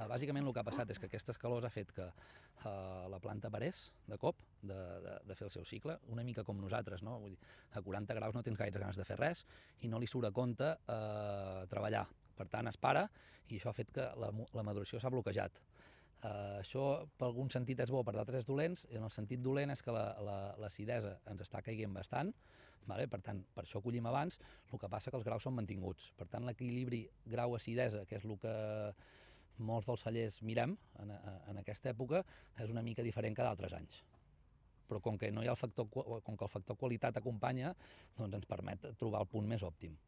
Bàsicament el que ha passat és que aquestes calors ha fet que la planta parés de cop de fer el seu cicle, una mica com nosaltres, no? Vull dir, a 40 graus no tens gaire ganes de fer res i no li surt a compte treballar. Per tant, es para i això ha fet que la maduració s'ha bloquejat. Això per algun sentit és bo, per d'altres és dolent, i en el sentit dolent és que l'acidesa ens està caient bastant, vale? Per tant, per això collim abans, el que passa que els graus són mantinguts. Per tant, l'equilibri grau-acidesa, que és el que molts dels cellers mirem en aquesta època, és una mica diferent que d'altres anys. Però com que no hi ha com que el factor qualitat acompanya, doncs ens permet trobar el punt més òptim.